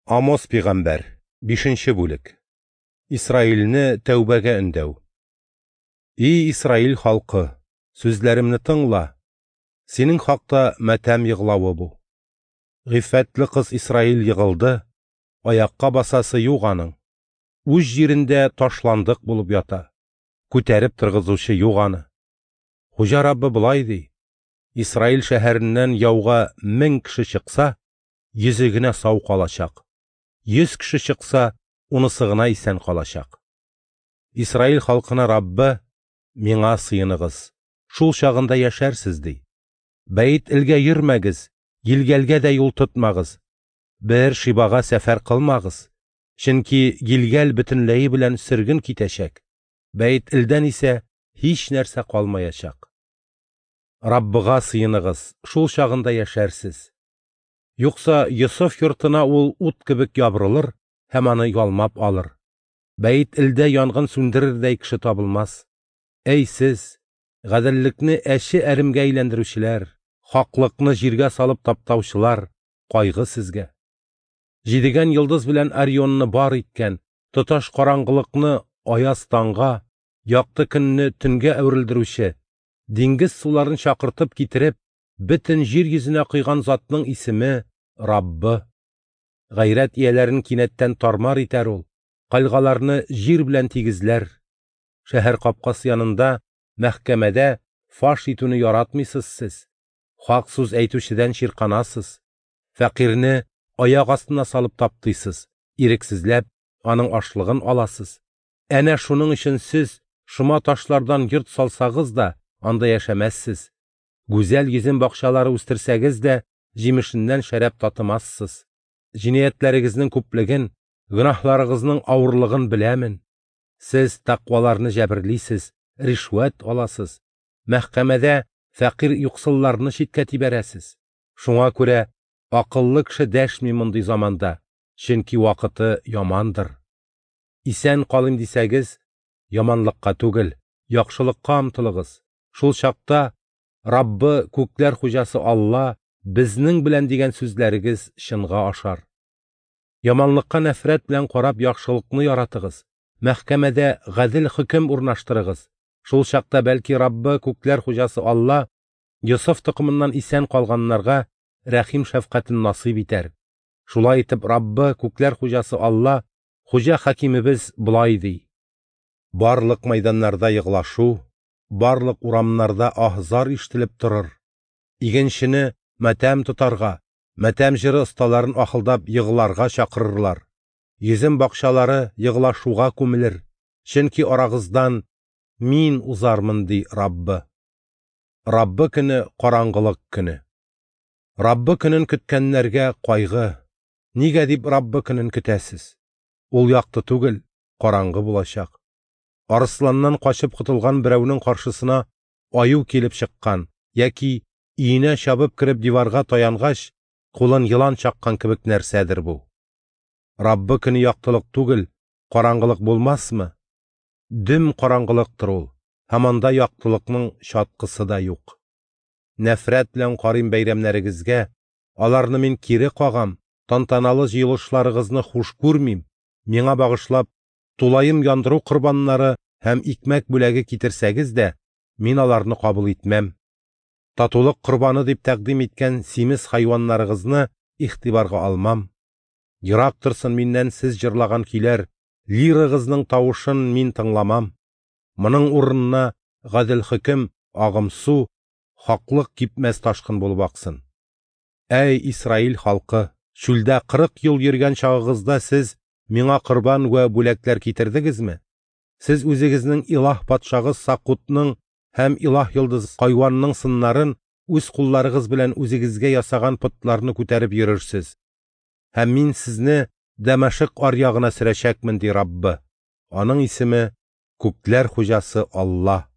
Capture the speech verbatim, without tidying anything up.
Амос пигамбәр, бишенче бүлек. Исраилне тәүбәгә өндәү. И Исраил халкы, сүзләремне тыңла. Синең хакта матәм йыглавы бу. Гыйффәтле кыз Исраил егылды, аякка басасы юк аның. Үз җирендә ташландык булып ята. Күтәреп торгызучы юк аны. Хуҗа Раббы болай ди: Исраил шәһәреннән яуга мең кеше чыкса, йөзе генә сау калачак. Йөз кеше чыкса, унысы гына исән калачак. Исраил халкына Раббы: миңа сыеныгыз, шул чагында яшәрсез, ди. Бәйт-Элгә йөрмәгез, Гилгәлгә дә юл тотмагыз. Бер Шибага сәфәр кылмагыз, чөнки Гилгәл бөтенләе белән сөрген китәчәк. Бәйт-Элдән исә һич нәрсә калмаячак. Раббыга сыеныгыз, шул чагында яшәрсез. Юкса Йосыф йортына ул ут кебек ябырылыр һәм аны ялмап алыр. Бәйт-Элдә янгын сүндерердәй кеше табылмас. Әй сез, гаделлекне әче әремгә әйләндерүчеләр, хаклыкны җиргә салып таптаучылар, кайгы сезгә. Җидегән йолдыз белән Орионны бар иткән, тоташ караңгылыкны аяз таңга, якты көнне төнгә әверелдерүче, диңгез суларын чакыртып китереп, бөтен җир йөзенә куйган затның исеме Раббы. Гайрәт ияләрен кинәттән тармар итәр ул, кальгаларны җир белән тигезләр. Шәһәр капкасы янында, мәхкәмәдә фаш итүне яратмыйсыз сез. Хак сүз әйтүчедән чирканасыз. Фәкыйрьне аяк астына салып таптыйсыз, ирексезләп аның ашлыгын аласыз. Әнә шуның өчен сез шома ташлардан йорт салсагыз да, анда яшәмәссез. Гүзәл йөзем бакчалары үстерсәгез дә, җимешеннән шәраб татымассыз. Җинаятьләрегезнең күплеген, гөнаһларыгызның авырлыгын беләмен. Сез тәкъваларны җәберлисез, ришвәт аласыз. Мәхкәмәдә фәкыйрь юксылларны читкә тибәрәсез. Шуңа күрә акыллы кеше дәшми мондый заманда, чөнки вакыты ямандыр. Исән калыйм дисәгез, яманлыкка түгел, яхшылыкка омтылыгыз. Шул чакта Раббы, күкләр хуҗасы Алла, безнең белән дигән сүзләрегез чынга ашар. Яманлыкка нәфрәт белән карап яхшылыкны яратыгыз. Мәхкәмәдә гадел хөкем урнаштырыгыз. Шул чакта бәлки Раббы, күкләр хуҗасы Алла, Йосыф токымыннан исән калганнарга рәхим шәфкатен насыйп итәр. Шулай итеп Раббы, күкләр хуҗасы Алла, хуҗа хакимебез болай ди: Барлык мәйданнарда йыглашу, барлык урамнарда аһ-зар ишетелеп торыр. Игенчене матәм тотарга, матәм җыры осталарын ахылдап йыгларга чакырырлар. Йөзем бакчалары йыглашуга күмелер, чөнки арагыздан мин узармын, ди Раббы. Раббы көне караңгылык көне. Раббы көнен көткәннәргә кайгы. Нигә дип Раббы көнен көтәсез? Ул якты түгел, караңгы булачак. Арысланнан качып котылган берәүнең каршысына аю килеп чыккан яки өенә чабып кереп диварга таянгач, кулын елан чаккан кебек нәрсәдер бу. Раббы көне яктылык түгел, караңгылык булмасмы? Дөм караңгылыктыр ул, һәм анда яктылыкның чаткысы да юк. Нәфрәт белән карыйм бәйрәмнәрегезгә, аларны мин кире кагам, тантаналы җыелышларыгызны хуш күрмим. Миңа багышлап тулаем яндыру корбаннары һәм икмәк бүләге китерсәгез дә, мин аларны кабул итмәм. Татулык корбаны дип тәкъдим иткән симез хайваннарыгызны игътибарга алмам. Ерак торсын миннән сез җырлаган көйләр, лирагызның тавышын мин тыңламам. Моның урынына гадел хөкем, агым су, хаклык кипмәс ташкын булып аксын. Әй Исраил халкы, чүлдә кырык ел йөргән чагыгызда сез миңа корбан вә бүләкләр китердегезме? Сез үзегезнең илаһ патшагыз Сакутның һәм илаһ йолдыз Кайванның сыннарын үз кулларыгыз белән үзегезгә ясаган потларны күтәреп йөрерсез. Һәм мин сезне Дәмәшек аръягына сөрәчәкмен, ди Раббы. Аның исеме Күкләр хуҗасы Алла.